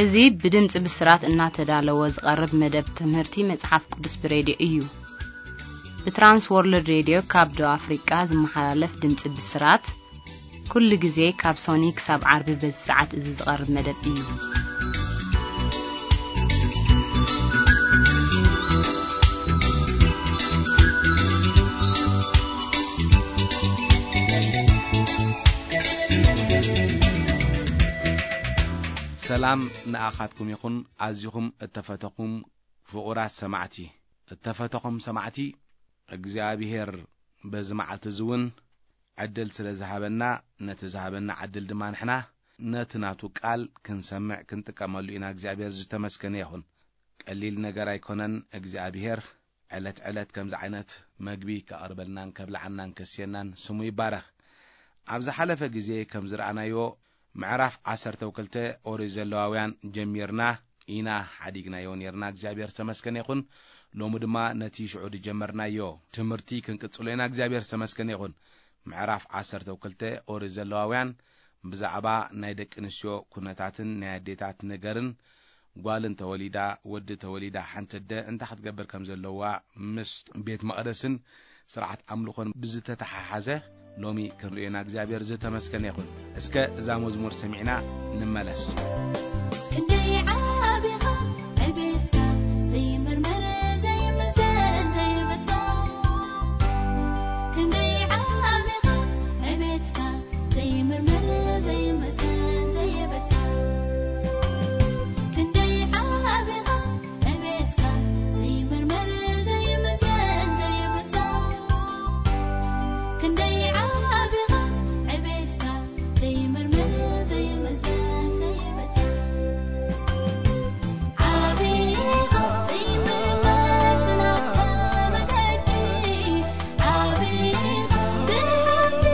እዚ ብድምፂ ብስራት እናተዳለወ ዝቐርብ መደብ ትምህርቲ መጽሓፍ ቅዱስ ብሬድዮ እዩ። ብትራንስ ወርልድ ሬድዮ ካብ ደቡብ ኣፍሪቃ ዝመሓላለፍ ድምፂ ብስራት፣ ኩሉ ግዜ ካብ ሶኒ ክሳብ ዓርቢ በዚ ሰዓት እዚ ዝቐርብ መደብ እዩ። ሰላም ንኣኻትኩም ይኹን፣ ኣዚኹም እተፈተኹም ፍቑራት ሰማዕቲ። እተፈተኹም ሰማዕቲ፣ እግዚኣብሄር በዚ መዓልቲ እዚ እውን ዕድል ስለ ዝሃበና፣ ነቲ ዝሃበና ዕድል ድማ ንሕና ነቲ ናቱ ቃል ክንሰምዕ ክንጥቀመሉ ኢና። እግዚኣብሄር ዝተመስገነ ይኹን። ቀሊል ነገር ኣይኮነን። እግዚኣብሄር ዕለት ዕለት ከምዚ ዓይነት መግቢ ከቕርበልናን ከብልዓናን ከስየናን ስሙ ይባረኽ። ኣብ ዝሓለፈ ግዜ ከም ዝረኣናዮ፣ ምዕራፍ ዓሰርተ ክልተ ኦሪት ዘለዋውያን ጀሚርና ኢና ሓዲግናዮ ነርና። እግዚኣብሔር ዝተመስገነ ይኹን። ሎሚ ድማ ነቲ ሽዑ ዝጀመርናዮ ትምህርቲ ክንቅጽሎ ኢና። እግዚኣብሔር ዝተመስገነ ይኹን። ምዕራፍ ዓሰርተ ክልተ ኦሪት ዘለዋውያን ብዛዕባ ናይ ደቂ ኣንስትዮ ኩነታትን ናይ ኣዴታት ነገርን፣ ጓል እንተወሊዳ፣ ወዲ ተወሊዳ፣ ሓንቲ ኣደ እንታይ ክትገብር ከም ዘለዋ ምስ ቤት መቕደስን ስርዓት ኣምልኾን ብዝተተሓሓዘ ሎሚ ክንርእዮና እግዚኣብሔር ዝተመስገነ ይኹን። እስከ እዛ መዝሙር ሰሚዕና ንመለስ። ክንደይ ዓቢኻ ዕቤትካ ዘይምርመር ዘይምዘን ዘይብጻ። ክንደይ ዓቢኻ ዕቤትካ ዘይምርመር ዘይምዘን ዘይብጻ። ክንደይ ዓቢኻ ዕቤትካ ዘይምርመር ዘይምዘን ዘይብጻ። ክንደይ ዓቢኻ ዕቤትካ ዘይምርመር ዘይምዘን ዘይብጻ። ዓቢኻ ዘይምርመር ናትካ መገዲ። ዓቢኻ ብሓቂ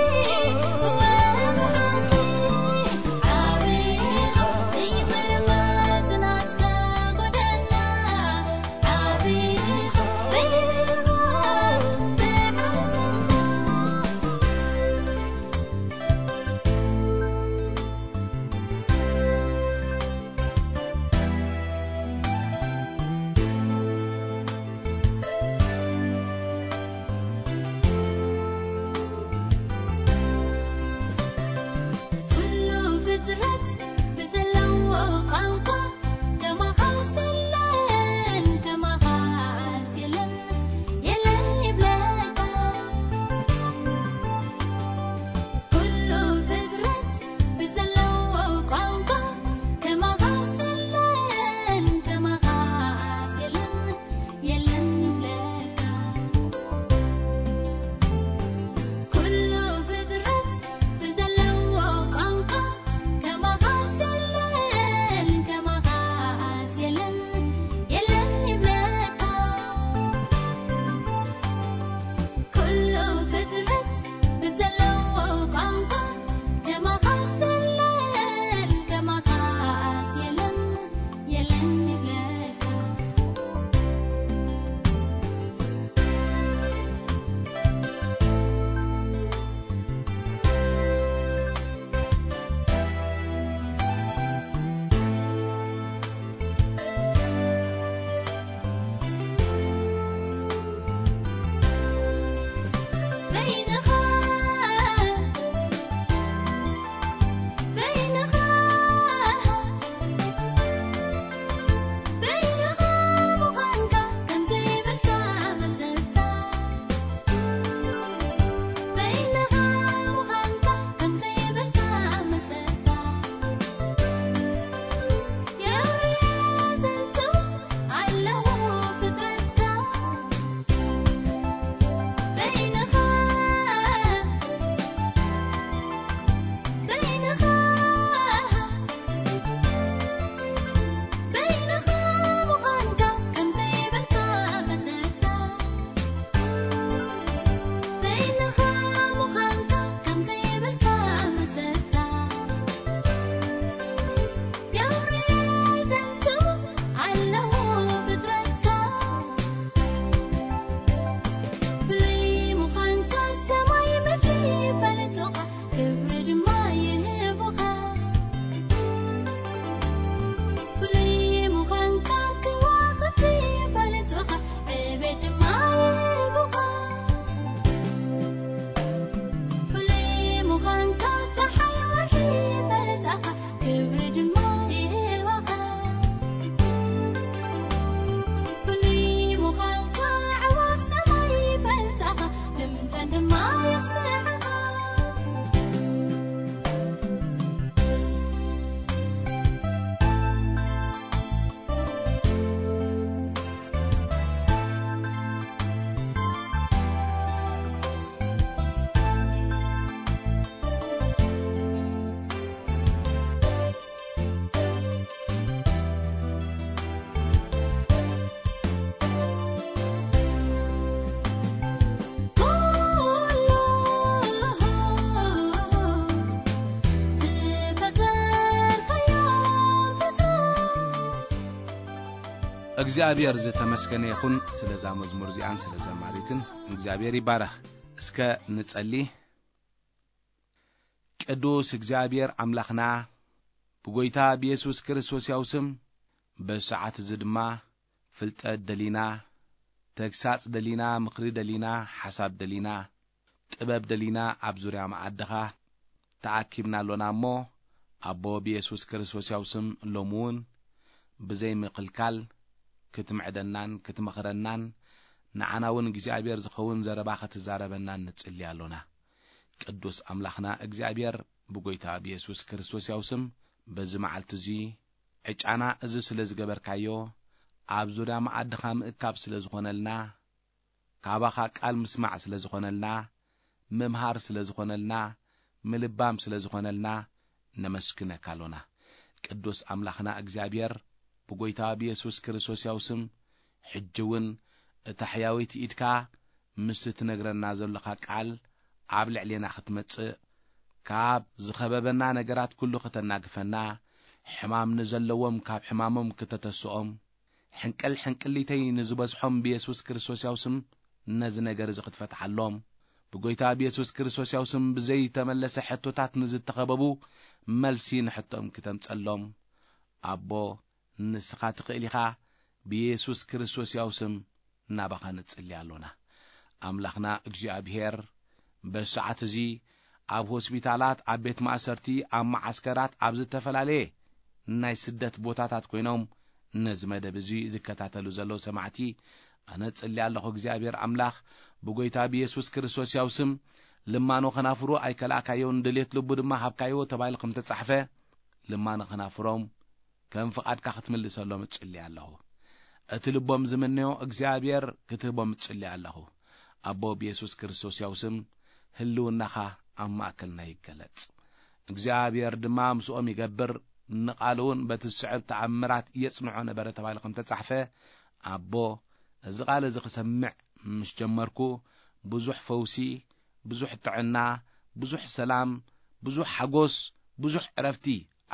ኳንካ ጸሓይ ወርሒ ይፈልጣኻ፣ ክብሪ ድማ ይህባኻ። ፍሉይ ምዃንካ ኣዕዋፍ ሰማይ ይፈልጣኻ፣ ድምጸን ድማ የስምዓኻ። እግዚኣብሔር ዝተመስገነ ይኹን፣ ስለዛ መዝሙር እዚኣን ስለ ዘማሪትን እግዚኣብሔር ይባረኽ። እስከ ንጸሊ። ቅዱስ እግዚኣብሔር ኣምላኽና፣ ብጎይታ ብየሱስ ክርስቶስ ያው ስም፣ በዚ ሰዓት እዚ ድማ ፍልጠት ደሊና፣ ተግሳጽ ደሊና፣ ምኽሪ ደሊና፣ ሓሳብ ደሊና፣ ጥበብ ደሊና ኣብ ዙርያ መኣድኻ ተኣኪብና ኣሎና እሞ፣ ኣቦ ብየሱስ ክርስቶስ ያው ስም ሎሚ እውን ብዘይ ምክልካል ክትምዕደናን ክትመኽረናን ንዓና እውን እግዚኣብሔር ዝኸውን ዘረባ ክትዛረበናን ንጽሊ ኣሎና። ቅዱስ ኣምላኽና እግዚኣብሔር ብጎይታ ብየሱስ ክርስቶስ ያው ስም በዚ መዓልቲ እዚ ዕጫና እዚ ስለ ዝገበርካዮ፣ ኣብ ዙርያ መኣድኻ ምእካብ ስለ ዝኾነልና፣ ካባኻ ቃል ምስማዕ ስለ ዝኾነልና፣ ምምሃር ስለ ዝኾነልና፣ ምልባም ስለ ዝኾነልና፣ ነመስግነካ ኣሎና። ቅዱስ ኣምላኽና እግዚኣብሔር፣ ብጎይታ ብየሱስ ክርስቶስ ያው ስም፣ ሕጂ እውን እታ ሕያወይቲ ኢድካ ምስቲ ትነግረና ዘለኻ ቃል ኣብ ልዕሌና ክትመጽእ፣ ካብ ዝኸበበና ነገራት ኩሉ ከተናግፈና፣ ሕማም ንዘለዎም ካብ ሕማሞም ክተተስኦም፣ ሕንቅል ሕንቅሊተይ ንዝበዝሖም ብየሱስ ክርስቶስ ያው ስም ነዚ ነገር እዚ ክትፈትሓሎም፣ ብጎይታ ብየሱስ ክርስቶስ ያው ስም ብዘይተመለሰ ሕቶታት ንዝተኸበቡ መልሲ ንሕቶም ክተምጸሎም፣ ኣቦ፣ ንስኻ ትኽእል ኢኻ። ብየሱስ ክርስቶስ ያው ስም ናባኻ ንጽሊ ኣሎና። ኣምላኽና እግዚኣብሔር፣ በዚ ሰዓት እዚ ኣብ ሆስፒታላት፣ ኣብ ቤት ማእሰርቲ፣ ኣብ መዓስከራት፣ ኣብ ዝተፈላለየ ናይ ስደት ቦታታት ኮይኖም ነዚ መደብ እዚ ዝከታተሉ ዘለዉ ሰማዕቲ፣ ኣነ እጽሊ ኣለኹ። እግዚኣብሔር ኣምላኽ፣ ብጎይታ ብየሱስ ክርስቶስ ያው ስም፣ ልማኖ ከናፍሩ ኣይከላእካዮን፣ ድሌት ልቡ ድማ ሃብካዮ ተባሂሉ ከም ተጻሕፈ፣ ልማኖ ከናፍሮም ከም ፍቓድካ ክትምልሰሎም እጽሊ ኣለኹ። እቲ ልቦም ዝምነዮ እግዚኣብሔር ክትህቦም እጽሊ ኣለኹ። ኣቦ ብየሱስ ክርስቶስ ያው ስም ህልውናኻ ኣብ ማእከልና ይገለጽ። እግዚኣብሔር ድማ ምስኦም ይገብር፣ ንቓሉ እውን በቲ ዝስዕብ ተኣምራት የጽንዖ ነበረ ተባሂሉ ከም ተጻሕፈ፣ ኣቦ፣ እዚ ቃል እዚ ክሰምዕ ምስ ጀመርኩ፣ ብዙሕ ፈውሲ፣ ብዙሕ ጥዕና፣ ብዙሕ ሰላም፣ ብዙሕ ሓጎስ፣ ብዙሕ ዕረፍቲ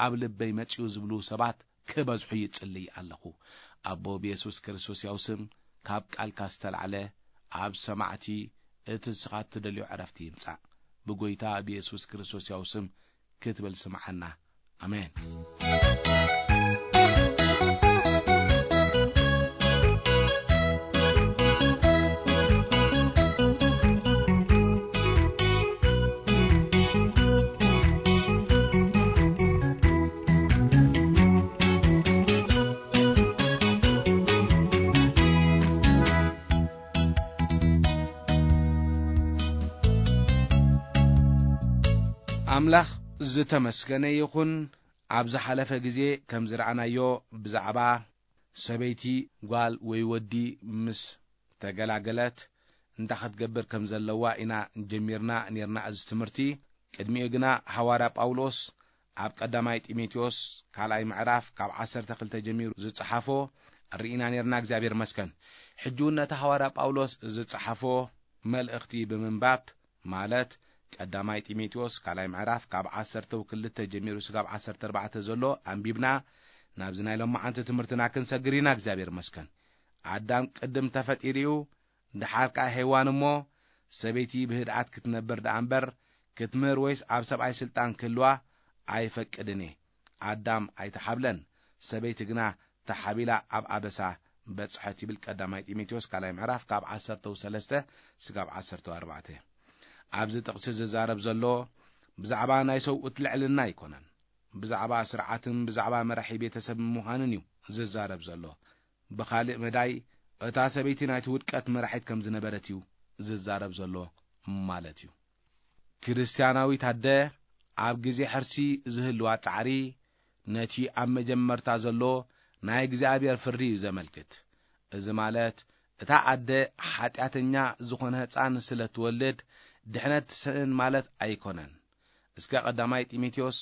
ኣብ ልበይ መጺኡ ዝብሉ ሰባት ክበዝሑ ይጽልይ ኣለኹ። ኣቦ ብየሱስ ክርስቶስ ያው ስም ካብ ቃልካ ዝተላዕለ ኣብ ሰማዕቲ እቲ ንስኻ እትደልዮ ዕረፍቲ ይምጻእ። ብጎይታ ብየሱስ ክርስቶስ ያው ስም ክትብል ስምዓና። ኣሜን። ኣምላኽ ዝተመስገነ ይኹን። ኣብ ዝሓለፈ ግዜ ከም ዝረኣናዮ፣ ብዛዕባ ሰበይቲ ጓል ወይ ወዲ ምስ ተገላገለት እንታይ ክትገብር ከም ዘለዋ ኢና ጀሚርና ኔርና እዚ ትምህርቲ። ቅድሚኡ ግና ሃዋርያ ጳውሎስ ኣብ ቀዳማይ ጢሞቴዎስ ካልኣይ ምዕራፍ ካብ ዓሰርተ ክልተ ጀሚሩ ዝጸሓፎ ርኢና ኔርና፣ እግዚኣብሔር መስከን። ሕጂ እውን ነቲ ሃዋርያ ጳውሎስ ዝጸሓፎ መልእኽቲ ብምንባብ፣ ማለት ቀዳማይ ጢሞቴዎስ ካልኣይ ምዕራፍ ካብ ዓሰርተ ክልተ ጀሚሩ ስጋብ ዓሰርተ ኣርባዕተ ዘሎ ኣንቢብና፣ ናብዚ ናይ ሎማዓንቲ ትምህርትና ክንሰግር ኢና። እግዚኣብሔር መስከን። ኣዳም ቅድም ተፈጢሩ እዩ፣ ድሓር ከኣ ሄዋን እሞ፣ ሰበይቲ ብህድኣት ክትነብር ደኣ እምበር፣ ክትምህር ወይስ ኣብ ሰብኣይ ስልጣን ክህልዋ ኣይፈቅድን እየ። ኣዳም ኣይተሓብለን፣ ሰበይቲ ግና ተሓቢላ ኣብ ኣበሳ በጽሐት ይብል ቀዳማይ ጢሞቴዎስ ካልኣይ ምዕራፍ ካብ ዓሰርተ ሰለስተ ስጋብ ዓሰርተ ኣርባዕተ። ኣብዚ ጥቕሲ ዝዛረብ ዘሎ ብዛዕባ ናይ ሰብኡት ልዕልና ኣይኮነን። ብዛዕባ ስርዓትን ብዛዕባ መራሒ ቤተሰብ ምዃንን እዩ ዝዛረብ ዘሎ። ብኻልእ መዳይ፣ እታ ሰበይቲ ናይቲ ውድቀት መራሒት ከም ዝነበረት እዩ ዝዛረብ ዘሎ ማለት እዩ። ክርስትያናዊት ኣደ ኣብ ግዜ ሕርሲ ዝህልዋ ጻዕሪ፣ ነቲ ኣብ መጀመርታ ዘሎ ናይ እግዚኣብሔር ፍርዲ እዩ ዘመልክት። እዚ ማለት፣ እታ ኣደ ሓጢኣተኛ ዝኾነ ህጻን ስለ ትወልድ ድሕነት ትስእን ማለት ኣይኮነን። እስከ ቀዳማይ ጢሞቴዎስ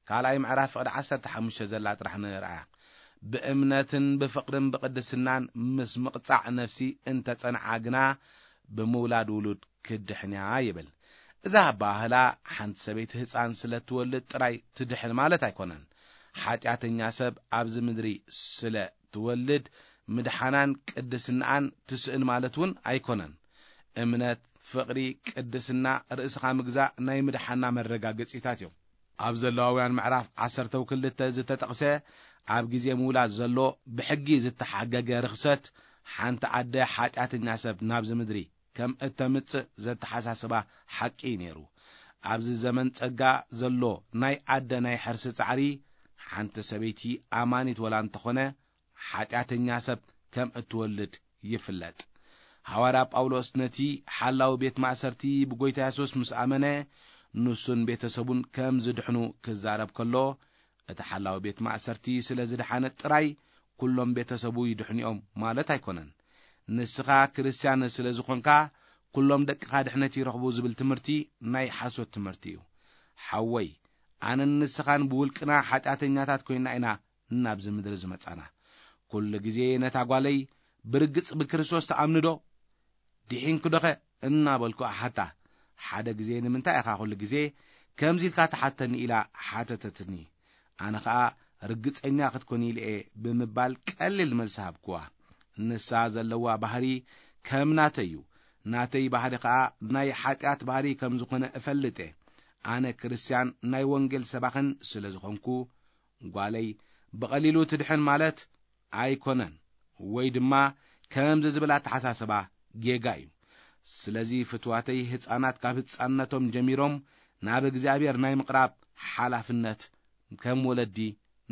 ካልኣይ ምዕራፍ ፍቕዲ ዓሰርተ ሓሙሽተ ዘላ ጥራሕ ንርኣያ። ብእምነትን ብፍቕርን ብቕድስናን ምስ ምቕጻዕ ነፍሲ እንተጸንዓ ግና ብምውላድ ውሉድ ክድሕን እያ ይብል። እዛ ኣባህላ ሓንቲ ሰበይቲ ህጻን ስለ ትወልድ ጥራይ ትድሕን ማለት ኣይኮነን። ሓጢኣተኛ ሰብ ኣብዚ ምድሪ ስለ ትወልድ ምድሓናን ቅድስናኣን ትስእን ማለት እውን ኣይኮነን። እምነት፣ ፍቕሪ፣ ቅድስና፣ ርእስኻ ምግዛእ ናይ ምድሓና መረጋገጺታት እዮም። ኣብ ዘለዋውያን ምዕራፍ ዓሰርተ ክልተ ዝተጠቕሰ ኣብ ግዜ ምውላድ ዘሎ ብሕጊ ዝተሓገገ ርኽሰት ሓንቲ ኣደ ሓጢኣተኛ ሰብ ናብዚ ምድሪ ከም እተምጽእ ዘተሓሳስባ ሓቂ እዩ ነይሩ። ኣብዚ ዘመን ጸጋ ዘሎ ናይ ኣደ ናይ ሕርሲ ጻዕሪ ሓንቲ ሰበይቲ ኣማኒት ወላ እንተኾነ ሓጢኣተኛ ሰብ ከም እትወልድ ይፍለጥ። ሃዋርያ ጳውሎስ ነቲ ሓላዊ ቤት ማእሰርቲ ብጎይታ የሱስ ምስ ኣመነ ንሱን ቤተሰቡን ከም ዝድሕኑ ክዛረብ ከሎ፣ እቲ ሓላዊ ቤት ማእሰርቲ ስለ ዝደሓነ ጥራይ ኩሎም ቤተሰቡ ይድሕኑ እዮም ማለት ኣይኮነን። ንስኻ ክርስትያን ስለ ዝኾንካ ኩሎም ደቅኻ ድሕነት ይረኽቡ ዝብል ትምህርቲ ናይ ሓሶት ትምህርቲ እዩ። ሓወይ፣ ኣነን ንስኻን ብውልቅና ሓጢኣተኛታት ኮይና ኢና ናብዚ ምድሪ ዝመጻና። ኩሉ ግዜ ነታ ጓለይ ብርግጽ ብክርስቶስ ትኣምኒ ዶ? ድሒንኪ ዶኸ? እናበልኩ እሓታ። ሓደ ግዜ ንምንታይ ኢኻ ኩሉ ግዜ ከምዚ ኢልካ ትሓተኒ ኢላ ሓተተትኒ። ኣነ ኸኣ ርግጸኛ ክትኮኒ ኢለ እየ ብምባል ቀሊል መልሲ ሃብክዋ። ንሳ ዘለዋ ባህሪ ከም ናተይ እዩ። ናተይ ባህሪ ኸኣ ናይ ሓጢኣት ባህሪ ከም ዝኾነ እፈልጥ እየ። ኣነ ክርስትያን ናይ ወንጌል ሰባኽን ስለ ዝኾንኩ፣ ጓለይ ብቐሊሉ ትድሕን ማለት ኣይኮነን፣ ወይ ድማ ከምዚ ዝብል ኣተሓሳስባ ጌጋ እዩ። ስለዚ ፍትዋተይ፣ ህፃናት ካብ ህፃንነቶም ጀሚሮም ናብ እግዚኣብሔር ናይ ምቕራብ ሓላፍነት ከም ወለዲ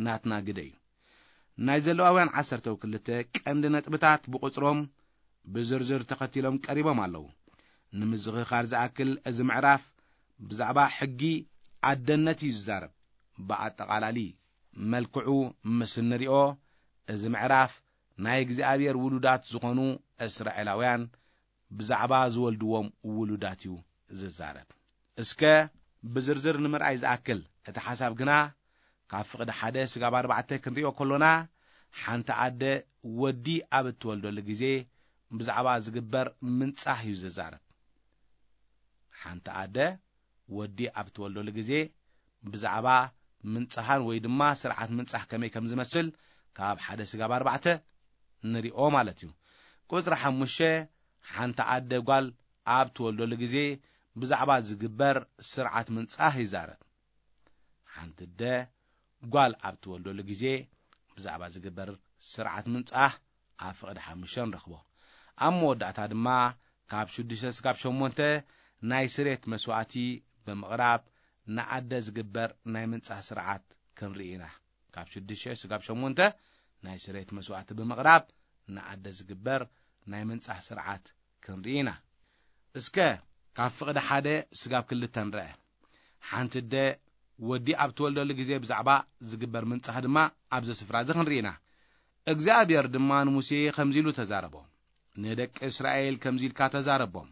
ናትና ግደ እዩ። ናይ ዘለዋውያን ዓሰርተ ክልተ ቀንዲ ነጥብታት ብቑፅሮም ብዝርዝር ተኸቲሎም ቀሪቦም ኣለዉ። ንምዝኽኻር ዝኣክል፣ እዚ ምዕራፍ ብዛዕባ ሕጊ ኣደነት እዩ ዝዛረብ። ብኣጠቓላሊ መልክዑ ምስ እንሪኦ፣ እዚ ምዕራፍ ናይ እግዚኣብሔር ውሉዳት ዝኾኑ እስራኤላውያን ብዛዕባ ዝወልድዎም ውሉዳት እዩ ዝዛረብ። እስከ ብዝርዝር ንምርኣይ ዝኣክል፣ እቲ ሓሳብ ግና ካብ ፍቕዲ ሓደ ስጋብ ኣርባዕተ ክንሪኦ ከሎና፣ ሓንቲ ኣደ ወዲ ኣብ እትወልደሉ ግዜ ብዛዕባ ዝግበር ምንጻህ እዩ ዝዛረብ። ሓንቲ ኣደ ወዲ ኣብ እትወልደሉ ግዜ ብዛዕባ ምንጻሃን ወይ ድማ ስርዓት ምንጻህ ከመይ ከም ዝመስል ካብ ሓደ ስጋብ ኣርባዕተ ንሪኦ ማለት እዩ። ቁጽሪ ሓሙሽተ፣ ሓንቲ ኣደ ጓል ኣብ ትወልደሉ ግዜ ብዛዕባ ዝግበር ስርዓት ምንጻህ ይዛረብ። ሓንቲ ኣደ ጓል ኣብ ትወልደሉ ግዜ ብዛዕባ ዝግበር ስርዓት ምንጻህ ኣብ ፍቕዲ ሓሙሽተ ንረኽቦ። ኣብ መወዳእታ ድማ ካብ ሽዱሽተ ስጋብ ሸሞንተ ናይ ስሬት መስዋእቲ ብምቕራብ ንኣደ ዝግበር ናይ ምንጻህ ስርዓት ክንርኢ ኢና። ካብ ሽዱሽተ ስጋብ ሸሞንተ ናይ ስሬት መስዋእቲ ብምቕራብ ንኣደ ዝግበር ናይ ምንጻህ ስርዓት ክንርኢ ኢና። እስከ ካብ ፍቕዲ ሓደ ስጋብ ክልተ ንርአ። ሓንቲ ኣደ ወዲ ኣብ ትወልደሉ ግዜ ብዛዕባ ዝግበር ምንጻህ ድማ ኣብዚ ስፍራ እዚ ክንርኢ ኢና። እግዚኣብሔር ድማ ንሙሴ ከምዚ ኢሉ ተዛረቦ። ንደቂ እስራኤል ከምዚ ኢልካ ተዛረቦም።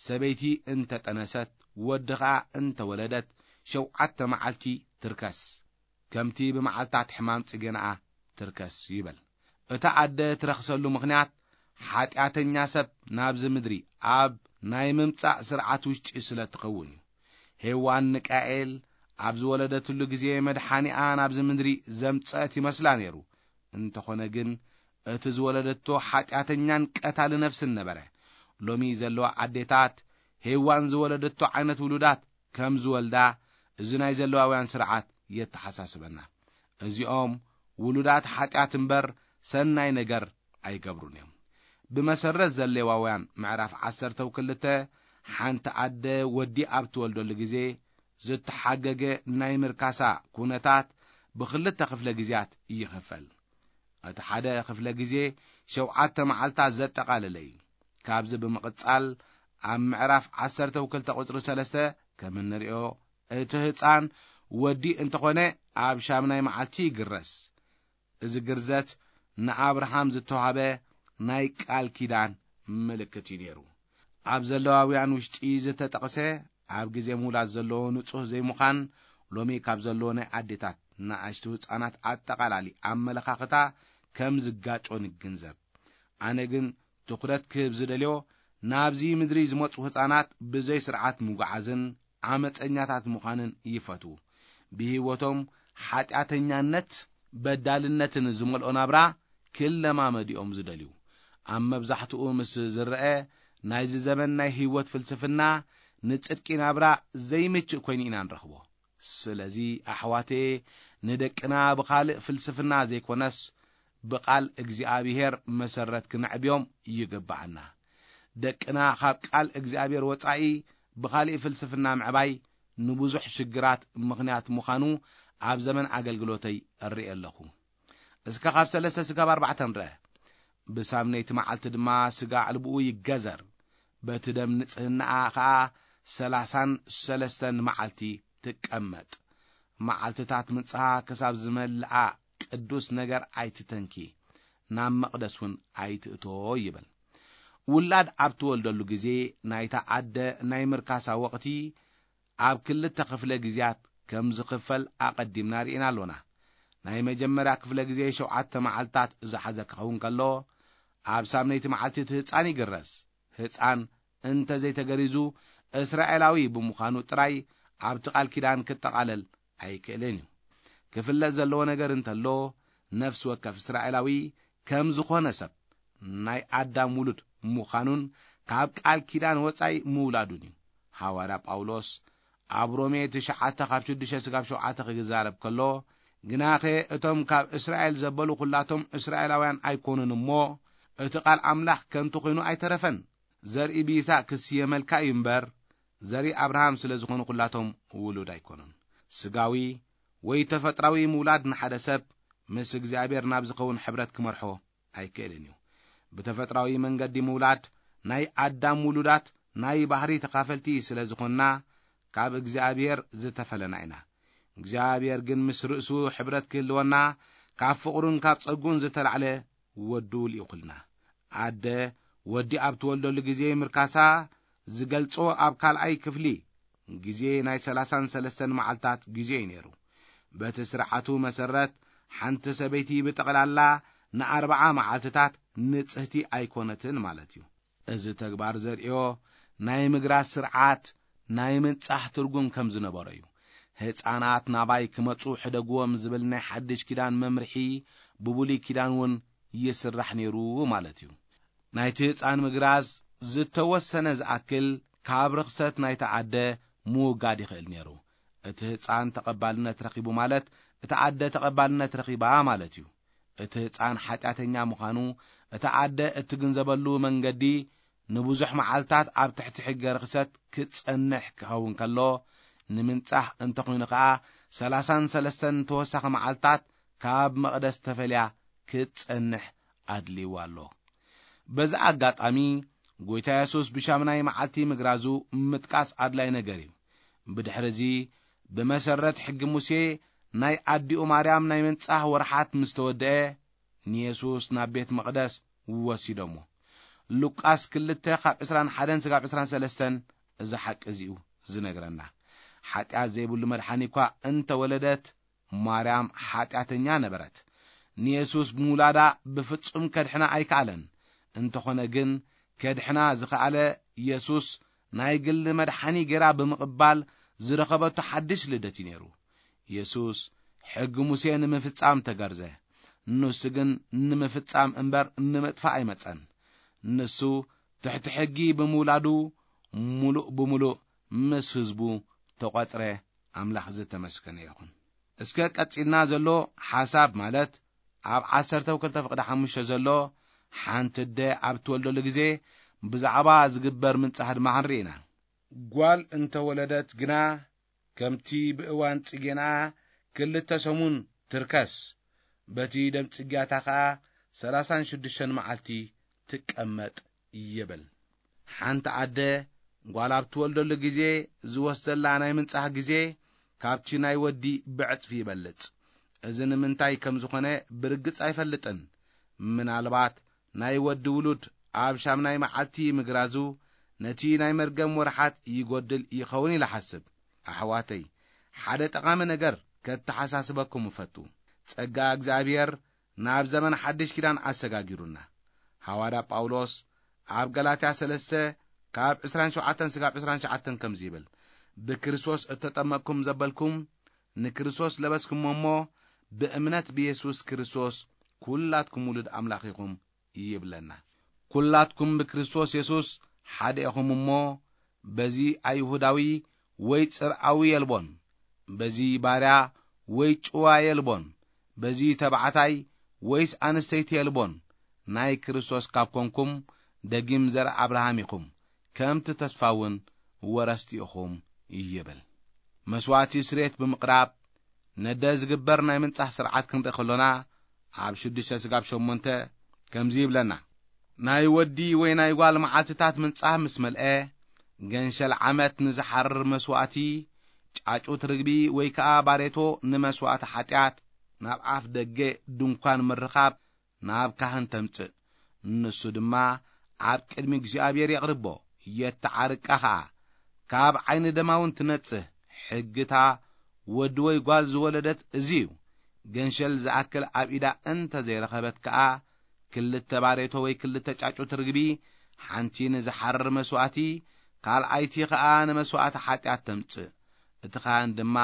ሰበይቲ እንተ ጠነሰት፣ ወዲ ኸኣ እንተ ወለደት፣ ሸውዓተ መዓልቲ ትርከስ። ከምቲ ብመዓልታት ሕማም ጽገናኣ ትርከስ ይበል። እታ ኣደ ትረኽሰሉ ምኽንያት ሓጢኣተኛ ሰብ ናብዚ ምድሪ ኣብ ናይ ምምጻእ ስርዓት ውሽጢ ስለ ትኸውን እዩ። ሄዋን ንቃኤል ኣብ ዝወለደትሉ ግዜ መድሓኒኣ ናብዚ ምድሪ ዘምጸት ይመስላ ነይሩ። እንተኾነ ግን እቲ ዝወለደቶ ሓጢኣተኛን ቀታሊ ነፍስን ነበረ። ሎሚ ዘለዋ ኣዴታት ሄዋን ዝወለደቶ ዓይነት ውሉዳት ከም ዝወልዳ እዚ ናይ ዘለዋውያን ስርዓት የተሓሳስበና። እዚኦም ውሉዳት ሓጢኣት እምበር ሰናይ ነገር ኣይገብሩን እዮም። ብመሰረት ዘሌዋውያን ምዕራፍ ዓሰርተ ክልተ ሓንቲ ኣደ ወዲ ኣብ ትወልደሉ ግዜ ዝተሓገገ ናይ ምርካሳ ኩነታት ብኽልተ ክፍለ ግዜያት ይኽፈል። እቲ ሓደ ክፍለ ግዜ ሸውዓተ መዓልታት ዘጠቓለለ እዩ። ካብዚ ብምቕጻል ኣብ ምዕራፍ ዓሰርተ ክልተ ቁጽሪ ሰለስተ ከም እንሪኦ፣ እቲ ህጻን ወዲ እንተኾነ ኣብ ሻምናይ መዓልቲ ይግረስ። እዚ ግርዘት ንኣብርሃም ዝተዋህበ ናይ ቃል ኪዳን ምልክት እዩ ነይሩ። ኣብ ዘለዋውያን ውሽጢ ዝተጠቕሰ ኣብ ግዜ ምውላድ ዘለዎ ንጹህ ዘይምዃን ሎሚ ካብ ዘለዎ ናይ ኣዴታት ንኣሽቱ ህጻናት ኣጠቓላሊ ኣመለኻኽታ ከም ዝጋጮ ንግንዘብ። ኣነ ግን ትኹረት ክህብ ዝደልዮ ናብዚ ምድሪ ዝመጹ ህጻናት ብዘይ ስርዓት ምጉዓዝን ዓመጸኛታት ምዃንን ይፈትዉ። ብህይወቶም ሓጢኣተኛነት በዳልነትን ዝመልኦ ናብራ ክለማመዱ እዮም ዝደልዩ። ኣብ መብዛሕትኡ ምስ ዝረአ ናይዚ ዘመን ናይ ህይወት ፍልስፍና ንጽድቂ ናብራ ዘይምችእ ኮይኑ ኢና ንረኽቦ። ስለዚ ኣሕዋተየ ንደቅና ብኻልእ ፍልስፍና ዘይኮነስ ብቓል እግዚኣብሔር መሰረት ክነዕብዮም ይግብኣና። ደቅና ካብ ቃል እግዚኣብሔር ወጻኢ ብኻልእ ፍልስፍና ምዕባይ ንብዙሕ ሽግራት ምኽንያት ምዃኑ ኣብ ዘመን ኣገልግሎተይ እርኢ ኣለኹ። እስከ ካብ ሰለስተ ስጋብ ኣርባዕተ ንርአ። ብሳምነይቲ መዓልቲ ድማ ስጋ ዕልብኡ ይገዘር፣ በቲ ደም ንጽህናኣ ኸኣ ሰላሳን ሰለስተን መዓልቲ ትቀመጥ። መዓልትታት ምጽሃ ክሳብ ዝመልኣ ቅዱስ ነገር ኣይትተንኪ፣ ናብ መቕደስ እውን ኣይትእቶ ይብል። ውላድ ኣብ ትወልደሉ ግዜ ናይታ ኣደ ናይ ምርካሳ ወቕቲ ኣብ ክልተ ክፍለ ግዜያት ከም ዝኽፈል ኣቐዲምና ርኢና ኣሎና። ናይ መጀመርያ ክፍለ ግዜ ሸውዓተ መዓልታት ዝሓዘ ክኸውን ከሎ፣ ኣብ ሳምነይቲ መዓልቲ እቲ ህጻን ይግረስ። ህጻን እንተ ዘይተገሪዙ፣ እስራኤላዊ ብምዃኑ ጥራይ ኣብቲ ቃል ኪዳን ክጠቓለል ኣይክእልን እዩ። ክፍለጥ ዘለዎ ነገር እንተሎ፣ ነፍሲ ወከፍ እስራኤላዊ ከም ዝኾነ ሰብ ናይ ኣዳም ውሉድ ምዃኑን ካብ ቃል ኪዳን ወጻኢ ምውላዱን እዩ። ሃዋርያ ጳውሎስ ኣብ ሮሜ ትሽዓተ ካብ ሽዱሽተ ስጋብ ሸውዓተ ክዛረብ ከሎ፣ ግናኸ እቶም ካብ እስራኤል ዘበሉ ኩላቶም እስራኤላውያን ኣይኮኑን እሞ፣ እቲ ቃል ኣምላኽ ከንቱ ኮይኑ ኣይተረፈን። ዘርኢ ብይስሐቅ ክስየመልካ እዩ እምበር፣ ዘርኢ ኣብርሃም ስለ ዝኾኑ ኩላቶም ውሉድ ኣይኮኑን። ስጋዊ ወይ ተፈጥራዊ ምውላድ ንሓደ ሰብ ምስ እግዚኣብሔር ናብ ዝኸውን ሕብረት ክመርሖ ኣይክእልን እዩ። ብተፈጥራዊ መንገዲ ምውላድ ናይ ኣዳም ውሉዳት ናይ ባህሪ ተኻፈልቲ ስለ ዝኾንና፣ ካብ እግዚኣብሔር ዝተፈለና ኢና። እግዚኣብሔር ግን ምስ ርእሱ ሕብረት ክህልወና፣ ካብ ፍቕሩን ካብ ጸጉን ዝተላዕለ ወዱ ልኢኹልና። ኣደ ወዲ ኣብ ትወልደሉ ግዜ ምርካሳ ዝገልጾ ኣብ ካልኣይ ክፍሊ ግዜ ናይ ሰላሳን ሰለስተን መዓልታት ግዜ እዩ ነይሩ። በቲ ስርዓቱ መሰረት፣ ሓንቲ ሰበይቲ ብጠቕላላ ንኣርብዓ መዓልትታት ንጽህቲ ኣይኮነትን ማለት እዩ። እዚ ተግባር ዘርእዮ ናይ ምግራስ ስርዓት ናይ ምንጻሕ ትርጉም ከም ዝነበሮ እዩ። ህጻናት ናባይ ክመጹ ሕደግዎም ዝብል ናይ ሓድሽ ኪዳን መምርሒ ብብሉይ ኪዳን እውን ይስራሕ ነይሩ ማለት እዩ። ናይቲ ህጻን ምግራዝ ዝተወሰነ ዝኣክል ካብ ርኽሰት ናይታ ኣደ ምውጋድ ይኽእል ነይሩ። እቲ ህጻን ተቐባልነት ረኺቡ ማለት እታ ኣደ ተቐባልነት ረኺባ ማለት እዩ። እቲ ህጻን ሓጢኣተኛ ምዃኑ እታ ኣደ እትግንዘበሉ መንገዲ ንብዙሕ መዓልታት ኣብ ትሕቲ ሕገ ርኽሰት ክጸንሕ ክኸውን ከሎ፣ ንምንጻህ እንተኾይኑ ከኣ ሰላሳን ሰለስተን ተወሳኺ መዓልታት ካብ መቕደስ ተፈልያ ክትጸንሕ ኣድልይዋ ኣሎ። በዚ ኣጋጣሚ፣ ጐይታ የሱስ ብሻምናይ መዓልቲ ምግራዙ ምጥቃስ ኣድላይ ነገር እዩ። ብድሕርዚ፣ ብመሰረት ሕጊ ሙሴ፣ ናይ ኣዲኡ ማርያም ናይ ምንጻህ ወርሓት ምስ ተወድአ፣ ንየሱስ ናብ ቤት መቕደስ ወሲዶሞ። ሉቃስ ክልተ ካብ ዕስራን ሓደን ስጋብ ዕስራን ሰለስተን እዚ ሓቂ እዚኡ ዝነግረና። ሓጢኣት ዘይብሉ መድሓኒ እኳ እንተወለደት፣ ማርያም ሓጢኣተኛ ነበረት። ንየሱስ ብምውላዳ ብፍጹም ከድሕና ኣይከኣለን። እንተኾነ ግን፣ ከድሕና ዝኸኣለ የሱስ ናይ ግሊ መድሓኒ ገይራ ብምቕባል ዝረኸበቶ ሓድሽ ልደት እዩ ነይሩ። የሱስ ሕጊ ሙሴ ንምፍጻም ተገርዘ። ንሱ ግን ንምፍጻም እምበር ንምጥፋእ ኣይመጸን። ንሱ ትሕቲ ሕጊ ብምውላዱ፣ ምሉእ ብምሉእ ምስ ህዝቡ ተቖጽረ። ኣምላኽ ዝተመስገነ ይኹን። እስከ ቀጺልና ዘሎ ሓሳብ፣ ማለት ኣብ ዓሰርተ ክልተ ፍቕዲ ሓሙሽተ ዘሎ፣ ሓንቲ ኣደ ኣብ ትወልደሉ ግዜ ብዛዕባ ዝግበር ምንጻህ ድማ ክንርኢ ኢና። ጓል እንተወለደት ግና ከምቲ ብእዋን ጽጌና ክልተ ሰሙን ትርከስ፣ በቲ ደም ጽግያታ ኸኣ ሠላሳን ሽዱሽተን መዓልቲ ትቀመጥ ይብል። ሓንቲ ኣደ ጓል ኣብ ትወልደሉ ግዜ ዝወስደላ ናይ ምንጻህ ግዜ ካብቲ ናይ ወዲ ብዕጽፊ ይበልጽ። እዚ ንምንታይ ከም ዝኾነ ብርግጽ ኣይፈልጥን። ምናልባት ናይ ወዲ ውሉድ ኣብ ሻምናይ መዓልቲ ምግራዙ ነቲ ናይ መርገም ወርሓት ይጎድል ይኸውን ኢለ ሓስብ። ኣሕዋተይ፣ ሓደ ጠቓሚ ነገር ከተሓሳስበኩም እፈቱ። ጸጋ እግዚኣብሔር ናብ ዘመን ሓድሽ ኪዳን ኣሰጋጊሩና። ሃዋርያ ጳውሎስ ኣብ ገላትያ ሠለስተ ካብ ዕስራን ሸውዓተን ስጋብ ዕስራን ሸውዓተን ከምዚ ይብል፣ "ብክርስቶስ እተጠመቅኩም ዘበልኩም ንክርስቶስ ለበስኩሞ እሞ፣ ብእምነት ብየሱስ ክርስቶስ ኲላትኩም ውሉድ ኣምላኽ ኢኹም" ይብለና። "ኲላትኩም ብክርስቶስ የሱስ ሓደ ኢኹም እሞ፣ በዚ ኣይሁዳዊ ወይ ጽርኣዊ የልቦን፣ በዚ ባርያ ወይ ጭዋ የልቦን፣ በዚ ተባዕታይ ወይስ ኣንስተይቲ የልቦን፣ ናይ ክርስቶስ ካብ ኮንኩም፣ ደጊም ዘር ኣብርሃም ኢኹም፣ ከምቲ ተስፋ እውን ወረስቲ ኢኹም" ይብል። መስዋዕቲ ስርየት ብምቕራብ ነደ ዝግበር ናይ ምንጻህ ስርዓት ክንርኢ ከሎና፣ ኣብ ሽዱሽተ ስጋብ ሸሞንተ ከምዚ ይብለና፣ "ናይ ወዲ ወይ ናይ ጓል መዓልትታት ምንጻህ ምስ መልአ፣ ገንሸል ዓመት ንዝሓርር መስዋዕቲ፣ ጫጩት ርግቢ ወይ ከኣ ባሬቶ ንመስዋዕቲ ሓጢኣት፣ ናብ ኣፍ ደገ ድንኳን ምርኻብ ናብ ካህን ተምጽእ። ንሱ ድማ ኣብ ቅድሚ እግዚኣብሔር የቕርቦ፣ የተዓርቃ ኸኣ፣ ካብ ዓይኒ ደማውን ትነጽህ። ሕግታ ወዲ ወይ ጓል ዝወለደት እዚ እዩ። ገንሸል ዝኣክል ኣብ ኢዳ እንተ ዘይረኸበት ከኣ፣ ክልተ ባሬቶ ወይ ክልተ ጫጩት ርግቢ፣ ሓንቲ ንዝሓርር መስዋእቲ፣ ካልኣይቲ ኸኣ ንመስዋእቲ ሓጢኣት ተምጽእ። እቲ ኻህን ድማ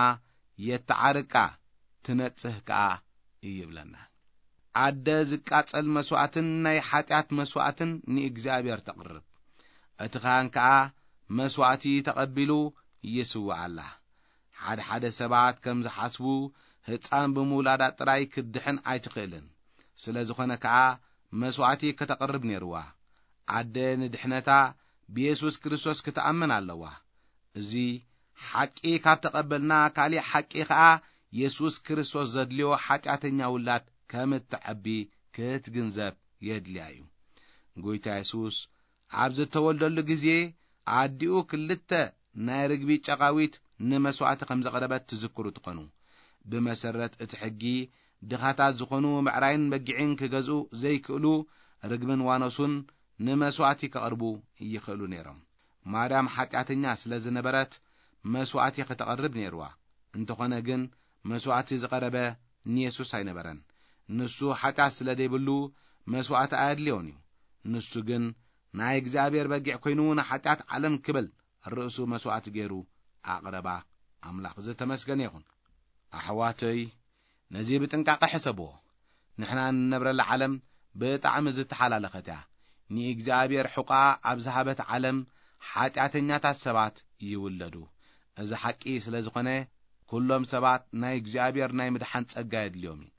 የተዓርቃ፣ ትነጽህ ከኣ" ይብለና። ኣደ ዝቃጸል መስዋእትን ናይ ሓጢኣት መስዋእትን ንእግዚኣብሔር ተቕርብ። እቲ ኻህን ከኣ መስዋእቲ ተቐቢሉ ይስውኣላ። ሓደ ሓደ ሰባት ከም ዝሓስቡ፣ ህጻን ብምውላዳ ጥራይ ክትድሕን ኣይትኽእልን። ስለ ዝኾነ ከኣ መስዋእቲ ከተቕርብ ነይርዋ። ኣደ ንድሕነታ ብየሱስ ክርስቶስ ክትኣምን ኣለዋ። እዚ ሓቂ ካብ ተቐበልና፣ ካሊእ ሓቂ ኸኣ የሱስ ክርስቶስ ዘድልዮ ሓጢኣተኛ ውላድ ከም እትዐቢ ክትግንዘብ የድልያ እዩ። ጎይታ የሱስ ኣብ ዝተወልደሉ ግዜ፣ ኣዲኡ ክልተ ናይ ርግቢ ጨቓዊት ንመስዋእቲ ከም ዘቕረበት ትዝክሩ ትኾኑ። ብመሰረት እቲ ሕጊ፣ ድኻታት ዝኾኑ ብዕራይን በጊዕን ክገዝኡ ዘይክእሉ፣ ርግብን ዋኖሱን ንመስዋእቲ ከቕርቡ ይኽእሉ ነይሮም። ማርያም ሓጢኣተኛ ስለ ዝነበረት፣ መስዋእቲ ከተቕርብ ነይርዋ። እንተኾነ ግን፣ መስዋእቲ ዝቐረበ ንየሱስ ኣይነበረን። ንሱ ሓጢኣት ስለ ዘይብሉ፣ መስዋእቲ ኣየድልዮን እዩ። ንሱ ግን ናይ እግዚኣብሔር በጊዕ ኮይኑ፣ ንሓጢኣት ዓለም ክብል ርእሱ መስዋእቲ ገይሩ ኣቕረባ። ኣምላኽ ዝተመስገነ ይኹን። ኣሕዋተይ፣ ነዚ ብጥንቃቐ ሕሰብዎ። ንሕና እንነብረላ ዓለም ብጣዕሚ ዝተሓላለኸት እያ። ንእግዚኣብሔር ሕቋ ኣብ ዝሃበት ዓለም፣ ሓጢኣተኛታት ሰባት ይውለዱ። እዚ ሓቂ ስለ ዝኾነ፣ ኩሎም ሰባት ናይ እግዚኣብሔር ናይ ምድሓን ጸጋ የድልዮም እዩ።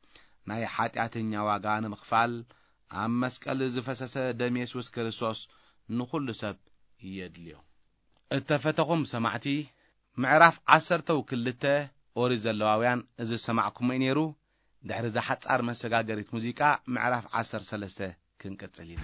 ናይ ሓጢኣተኛ ዋጋ ንምኽፋል፣ ኣብ መስቀል ዝፈሰሰ ደም የሱስ ክርስቶስ ንኹሉ ሰብ የድልዮ። እተፈተኹም ሰማዕቲ፣ ምዕራፍ ዓሰርተው ክልተ ኦሪት ዘለዋውያን እዚ ዝሰማዕኩሞ እዩ ነይሩ። ድሕሪ እዛ ሓጻር መሰጋገሪት ሙዚቃ፣ ምዕራፍ ዓሰርተ ሰለስተ ክንቅጽል ኢና።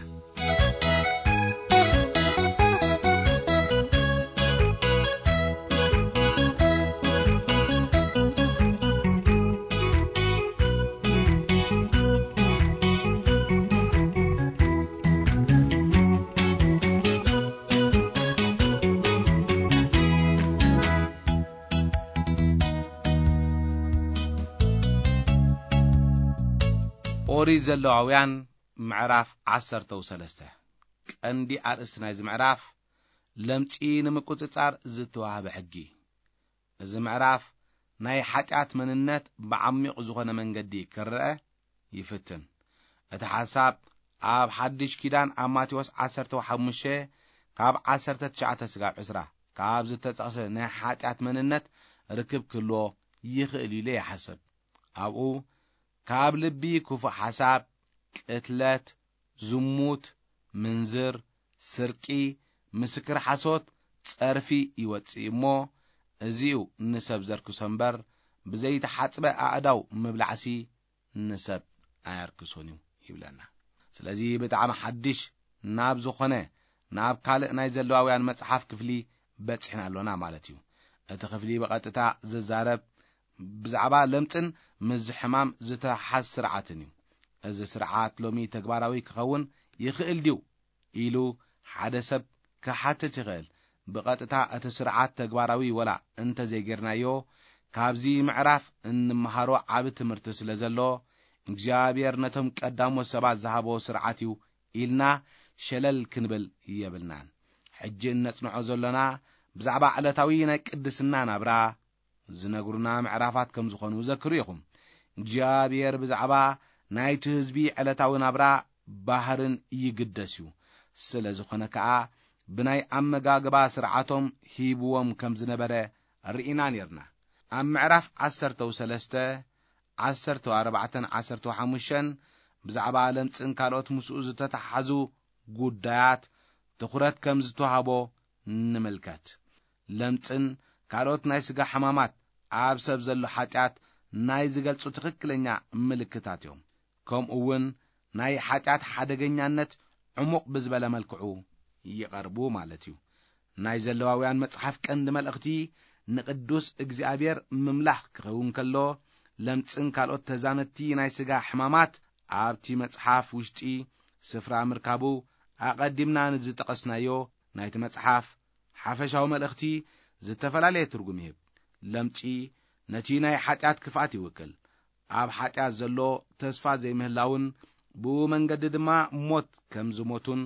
ኦሪት ዘለዋውያን ምዕራፍ ዓሰርተው ሰለስተ። ቀንዲ ኣርእስቲ ናይዚ ምዕራፍ፣ ለምጺ ንምቁጽጻር ዝተዋህበ ሕጊ። እዚ ምዕራፍ ናይ ሓጢኣት መንነት ብዓሚቕ ዝኾነ መንገዲ ክረአ ይፍትን። እቲ ሓሳብ ኣብ ሓድሽ ኪዳን ኣብ ማቴዎስ ዓሰርተ ሓሙሽተ ካብ ዓሰርተ ትሽዓተ ስጋብ ዕስራ ካብ ዝተጠቕሰ ናይ ሓጢኣት መንነት ርክብ ክህልዎ ይኽእል ኢለ ይሓስብ። ኣብኡ ካብ ልቢ ክፉእ ሓሳብ፣ ቅትለት፣ ዝሙት፣ ምንዝር፣ ስርቂ፣ ምስክር ሓሶት፣ ጸርፊ ይወጽእ እሞ፣ እዚኡ ንሰብ ዘርክሶ እምበር፣ ብዘይተሓጽበ ኣእዳው ምብላዕሲ ንሰብ ኣየርክሶን እዩ ይብለና። ስለዚ ብጣዕሚ ሓድሽ ናብ ዝኾነ፣ ናብ ካልእ ናይ ዘለዋውያን መጽሓፍ ክፍሊ በጺሕና ኣሎና ማለት እዩ። እቲ ክፍሊ ብቐጥታ ዝዛረብ ብዛዕባ ለምጽን ምስዚ ሕማም ዝተሓዝ ስርዓትን እዩ። እዚ ስርዓት ሎሚ ተግባራዊ ክኸውን ይኽእል ድዩ ኢሉ ሓደ ሰብ ክሓትት ይኽእል። ብቐጥታ እቲ ስርዓት ተግባራዊ ወላ እንተ ዘይጌርናዮ፣ ካብዚ ምዕራፍ እንመሃሮ ዓቢ ትምህርቲ ስለ ዘሎ፣ እግዚኣብሔር ነቶም ቀዳሞት ሰባት ዝሃቦ ስርዓት እዩ ኢልና ሸለል ክንብል የብልናን። ሕጂ እነጽንዖ ዘሎና ብዛዕባ ዕለታዊ ናይ ቅድስና ናብራ ዝነግሩና ምዕራፋት ከም ዝኾኑ ዘክሩ ኢኹም። እግዚኣብሔር ብዛዕባ ናይቲ ህዝቢ ዕለታዊ ናብራ ባህርን ይግደስ እዩ። ስለ ዝኾነ ከኣ ብናይ ኣመጋግባ ስርዓቶም ሂብዎም ከም ዝነበረ ርኢና ኔርና። ኣብ ምዕራፍ ዓሰርተ ሰለስተ፣ ዓሰርተ ኣርባዕተን ዓሰርተ ሓሙሽተን ብዛዕባ ለምጽን ካልኦት ምስኡ ዝተተሓሓዙ ጉዳያት ትኹረት ከም ዝተዋህቦ ንምልከት። ለምጽን ካልኦት ናይ ስጋ ሕማማት ኣብ ሰብ ዘሎ ሓጢኣት ናይ ዝገልጹ ትኽክለኛ ምልክታት እዮም። ከምኡ እውን ናይ ሓጢኣት ሓደገኛነት ዕሙቕ ብዝበለ መልክዑ ይቐርቡ ማለት እዩ። ናይ ዘለዋውያን መጽሓፍ ቀንዲ መልእኽቲ ንቕዱስ እግዚኣብሔር ምምላኽ ክኸውን ከሎ፣ ለምጽን ካልኦት ተዛመድቲ ናይ ስጋ ሕማማት ኣብቲ መጽሓፍ ውሽጢ ስፍራ ምርካቡ ኣቐዲምና ንዝጠቐስናዮ ናይቲ መጽሓፍ ሓፈሻዊ መልእኽቲ ዝተፈላለየ ትርጉም ይህብ። ለምጺ ነቲ ናይ ሓጢኣት ክፍኣት ይውክል። ኣብ ሓጢኣት ዘሎ ተስፋ ዘይምህላውን ብኡ መንገዲ ድማ ሞት ከም ዝሞቱን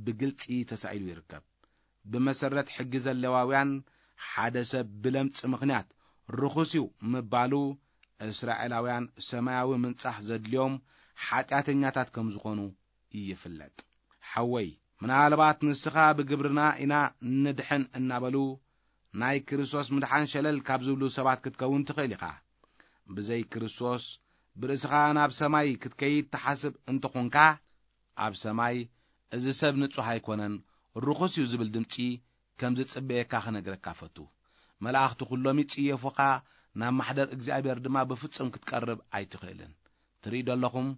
ብግልጺ ተሳኢሉ ይርከብ። ብመሰረት ሕጊ ዘለዋውያን፣ ሓደ ሰብ ብለምጺ ምኽንያት ርኹስ እዩ ምባሉ፣ እስራኤላውያን ሰማያዊ ምንጻህ ዘድልዮም ሓጢኣተኛታት ከም ዝኾኑ ይፍለጥ። ሓወይ፣ ምናልባት ንስኻ ብግብርና ኢና ንድሕን እናበሉ ናይ ክርስቶስ ምድሓን ሸለል ካብ ዝብሉ ሰባት ክትከውን ትኽእል ኢኻ። ብዘይ ክርስቶስ ብርእስኻ ናብ ሰማይ ክትከይድ ትሓስብ እንተኾንካ፣ ኣብ ሰማይ እዚ ሰብ ንጹሕ ኣይኮነን፣ ርኹስ እዩ ዝብል ድምጺ ከም ዝጽበየካ ክነግረካ ፈቱ። መላእኽቲ ኩሎም ይጽየፉኻ፣ ናብ ማሕደር እግዚኣብሔር ድማ ብፍጹም ክትቀርብ ኣይትኽእልን። ትርኢ ዶ ኣለኹም፣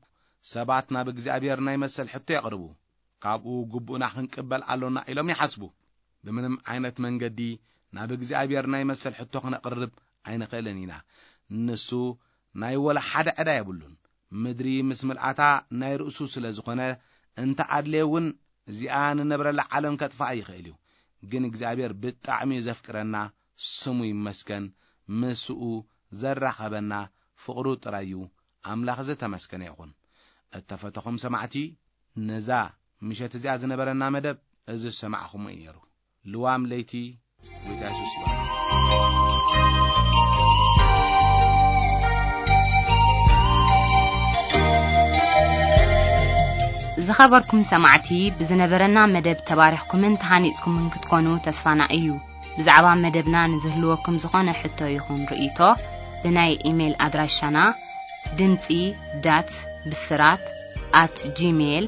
ሰባት ናብ እግዚኣብሔር ናይ መሰል ሕቶ የቕርቡ፣ ካብኡ ግቡእና ክንቅበል ኣሎና ኢሎም ይሓስቡ። ብምንም ዓይነት መንገዲ ናብ እግዚኣብሔር ናይ መሰል ሕቶ ክነቕርብ ኣይንኽእልን ኢና። ንሱ ናይ ወላ ሓደ ዕዳ የብሉን። ምድሪ ምስ ምልኣታ ናይ ርእሱ ስለ ዝኾነ፣ እንተ ኣድለየ እውን እዚኣ ንነብረላ ዓለም ከጥፍኣ ይኽእል እዩ። ግን እግዚኣብሔር ብጣዕሚ እዩ ዘፍቅረና፣ ስሙ ይመስገን። ምስኡ ዘራኸበና ፍቕሩ ጥራይ እዩ። ኣምላኽ ዝተመስገነ ይኹን። እተፈተኹም ሰማዕቲ፣ ነዛ ምሸት እዚኣ ዝነበረና መደብ እዚ ዝሰማዕኹሞ እዩ ነይሩ። ልዋም ለይቲ። ጎይታ የሱስ ይባርክ። ዝኸበርኩም ሰማዕቲ፣ ብዝነበረና መደብ ተባሪኽኩምን ተሃኒጽኩምን ክትኮኑ ተስፋና እዩ። ብዛዕባ መደብና ንዝህልወኩም ዝኾነ ሕቶ ይኹን ርእይቶ፣ ብናይ ኢሜይል ኣድራሻና ድምጺ ዳት ብስራት ኣት ጂሜይል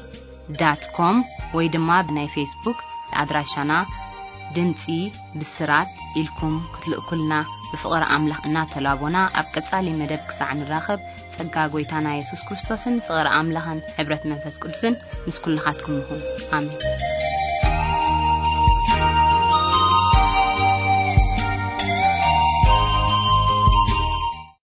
ዳት ኮም ወይ ድማ ብናይ ፌስቡክ ኣድራሻና ድምጺ ብስራት ኢልኩም ክትልእኩልና ብፍቕሪ ኣምላኽ እናተላቦና፣ ኣብ ቀጻሊ መደብ ክሳዕ ንራኸብ፣ ጸጋ ጎይታና የሱስ ክርስቶስን ፍቕሪ ኣምላኽን ሕብረት መንፈስ ቅዱስን ምስ ኩልኻትኩም ይኹን። ኣሜን።